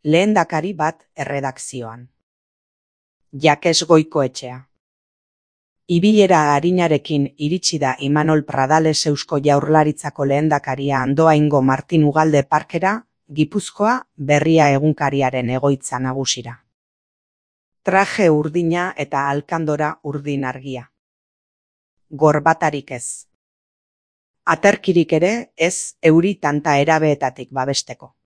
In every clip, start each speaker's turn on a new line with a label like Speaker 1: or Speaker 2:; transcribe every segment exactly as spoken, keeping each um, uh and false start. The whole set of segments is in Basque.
Speaker 1: Lehendakari bat erredakzioan. Jakes Goikoetxea. Ibilera arinarekin iritsi da Imanol Pradales Eusko Jaurlaritzako lehendakaria Andoaingo Martin Ugalde Parkera, Gipuzkoa, Berria egunkariaren egoitza nagusira. Traje urdina eta alkandora urdin argia. Gorbatarik ez. Aterkirik ere ez euri tanta erabeetatik babesteko.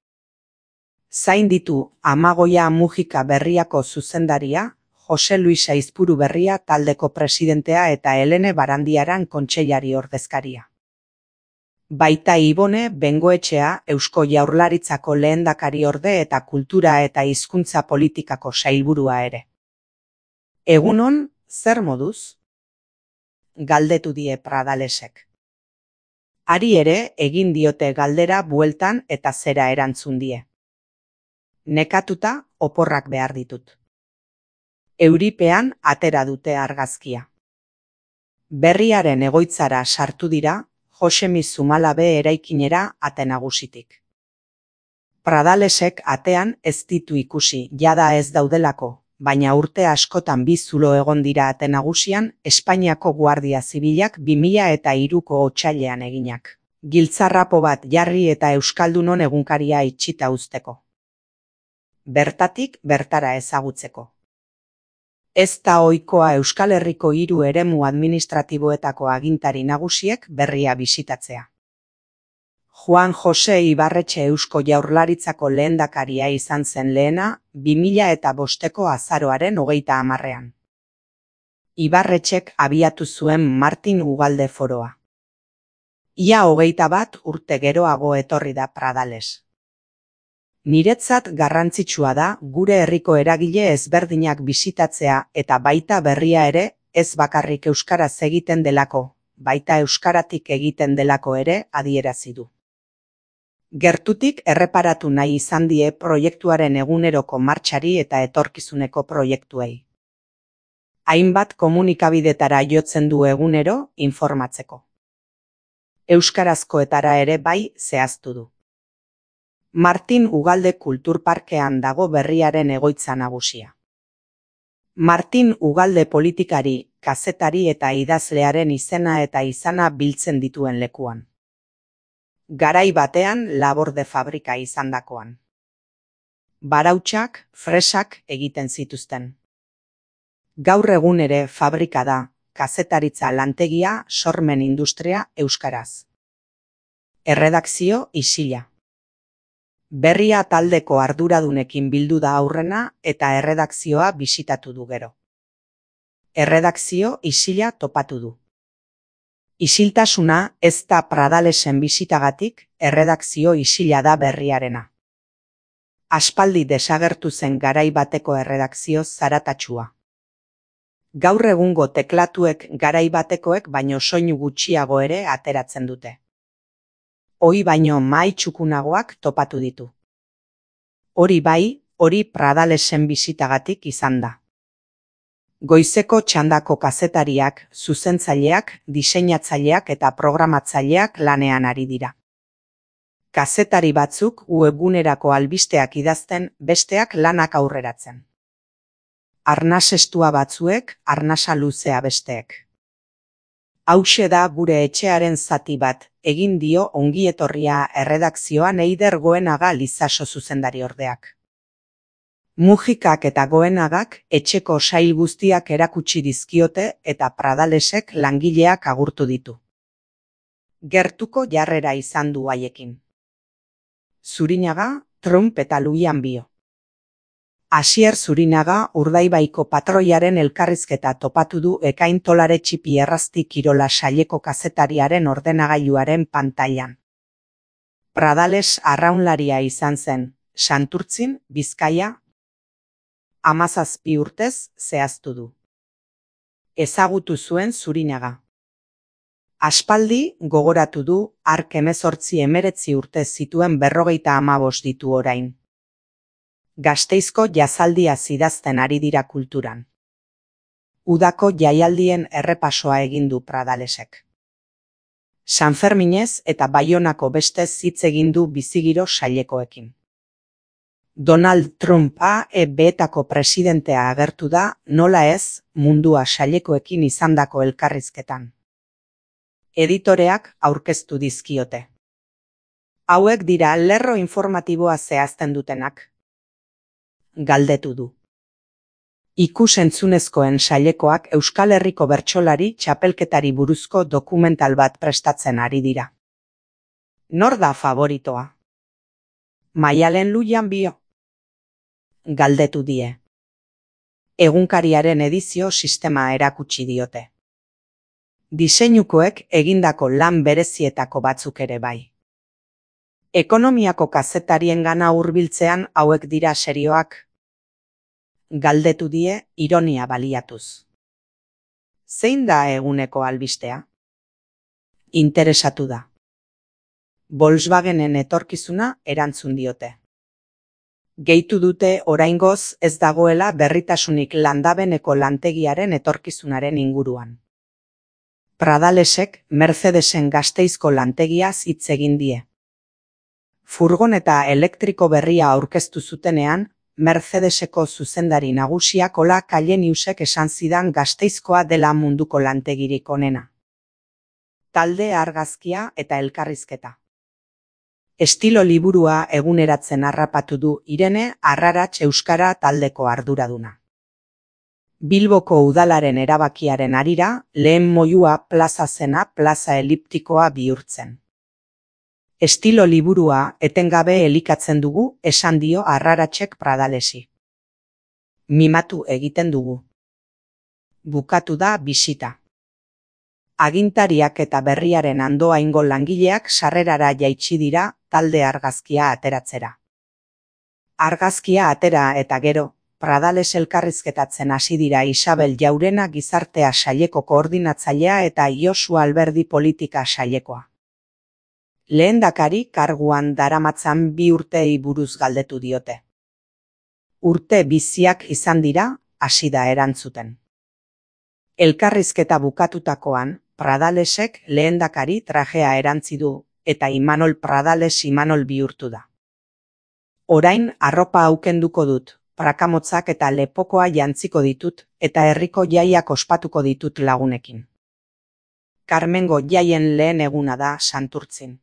Speaker 1: Zain ditu Amagoia Mujika Berriako zuzendaria, Jose Luis Aizpuru Berria taldeko presidentea eta Helene Barandiaran kontseilari ordezkaria. Baita Ibone Bengoetxea Eusko Jaurlaritzako lehendakariorde eta kultura eta hizkuntza politikako sailburua ere. Egunon, zer moduz? Galdetu die Pradalesek. Hari ere egin diote galdera bueltan eta zera erantzun die. Nekatuta oporrak behar ditut. Euripean atera dute argazkia. Berriaren egoitzara sartu dira, Josemi Zumalabe eraikinera ate nagusitik. Pradalesek atean ez ditu ikusi, jada ez daudelako, baina urte askotan bi zulo egon dira ate nagusian Espainiako Guardia Zibilak bi mila eta hiruko otsailean eginak. Giltzarrapo bat jarri eta Euskaldunon egunkaria itxita uzteko. Bertatik bertara ezagutzeko. Ez da ohikoa Euskal Herriko hiru eremu administratiboetako agintari nagusiek Berria bisitatzea. Juan Jose Ibarretxe Eusko Jaurlaritzako lehendakaria izan zen lehena, bi mila eta bosteko azaroaren hogeita hamarrean. Ibarretxek abiatu zuen Martin Ugalde foroa. Ia hogeita bat urte geroago etorri da Pradales. Niretzat garrantzitsua da gure herriko eragile ezberdinak bisitatzea eta baita Berria ere, ez bakarrik euskaraz egiten delako, baita euskaratik egiten delako ere adierazi du. Gertutik erreparatu nahi izan die proiektuaren eguneroko martxari eta etorkizuneko proiektuei. Hainbat komunikabidetara jotzen du egunero informatzeko. Euskarazkoetara ere bai zehaztu du. Martin Ugalde Kulturparkean dago Berriaren egoitza nagusia. Martin Ugalde politikari, kazetari eta idazlearen izena eta izana biltzen dituen lekuan. Garai batean laborde fabrika izandakoan. Barautsak, fresak egiten zituzten. Gaur egun ere fabrika da, kazetaritza lantegia, sormen industria euskaraz. Erredakzio isila. Berria taldeko arduradunekin bildu da aurrena eta erredakzioa bisitatu du gero. Erredakzio isila topatu du. Isiltasuna ez da Pradalesen bisitagatik, erredakzio isila da Berriarena. Aspaldi desagertu zen garai bateko erredakzio zaratatsua. Gaur egungo teklatuek garai batekoek baino soinu gutxiago ere ateratzen dute. Hoi baino mahai txukunagoak topatu ditu. Hori bai, hori Pradalesen bisitagatik izan da. Goizeko txandako kazetariak, zuzentzaileak, diseinatzaileak eta programatzaileak lanean ari dira. Kazetari batzuk webgunerako albisteak idazten, besteak lanak aurreratzen. Arnas estua batzuek, arnasa luzea besteek. Hauxe da gure etxearen zati bat, egin dio ongietorria erredakzioan Eider Goenaga Lizaso zuzendari ordeak. Mujikak eta Goenagak etxeko sail guztiak erakutsi dizkiote eta Pradalesek langileak agurtu ditu. Gertuko jarrera izan du haiekin. Zurinaga, Trump eta Luian bio. Asier Zurinaga Urdaibaiko patroiaren elkarrizketa topatu du Ekain Tolare Txipi Errazti Kirola saileko kazetariaren ordenagailuaren pantailan. Pradales arraunlaria izan zen, Santurtzin, Bizkaia, hamazazpi urtez zehaztu du. Ezagutu zuen Zurinaga. Aspaldi gogoratu du hark hemezortzi hemeretzi urte zituen berrogeita hamabost ditu orain. Gasteizko jazaldia idazten ari dira kulturan. Udako jaialdien errepasoa egin du Pradalesek. Sanferminez eta Baionako beste hitz egin du bizigiro sailekoekin. Donald Trumpa E B-etako presidentea agertu da, nola ez, mundua sailekoekin izandako elkarrizketan. Editoreak aurkeztu dizkiote. Hauek dira lerro informatiboa zehazten dutenak. Galdetu du. Ikus-entzunezkoen sailekoak Euskal Herriko bertsolari txapelketari buruzko dokumental bat prestatzen ari dira. Nor da favoritoa? Maialen Lujan bio? Galdetu die. Egunkariaren edizio sistema erakutsi diote. Diseinukoek egindako lan berezietako batzuk ere bai. Ekonomiako kazetariengana hurbiltzean hauek dira serioak? Galdetu die ironia baliatuz. Zein da eguneko albistea? Interesatu da. Volkswagenen etorkizuna erantzun diote. Gehitu dute oraingoz ez dagoela berritasunik landabeneko lantegiaren etorkizunaren inguruan. Pradalesek Mercedesen Gasteizko lantegiaz hitz egin die. Furgoneta elektriko berria aurkeztu zutenean, Mercedeseko zuzendari nagusiak Ola Kalleniusek esan zidan Gasteizkoa dela munduko lantegirik onena. Talde argazkia eta elkarrizketa. Estilo liburua eguneratzen harrapatu du Irene Arraratz Euskara taldeko arduraduna. Bilboko udalaren erabakiaren harira, lehen moyua plaza zena plaza eliptikoa bihurtzen. Estilo liburua etengabe elikatzen dugu, esan dio Arraratzek Pradalesi. Mimatu egiten dugu. Bukatu da bisita. Agintariak eta berriaren andoaingo langileak sarrerara jaitsi dira talde argazkia ateratzera. Argazkia atera eta gero, Pradales elkarrizketatzen hasi dira Isabel Jaurena gizartea saileko koordinatzailea eta Josu Alberdi politika sailekoa. Lehendakari karguan daramatzan bi urtei buruz galdetu diote. Urte biziak izan dira, hasi da erantzuten. Elkarrizketa bukatutakoan, Pradalesek lehendakari trajea erantzi du, eta Imanol Pradales Imanol bihurtu da. Orain arropa aukenduko dut, prakamotzak eta lepokoa jantziko ditut, eta herriko jaiak ospatuko ditut lagunekin. Karmengo jaien lehen eguna da Santurtzin.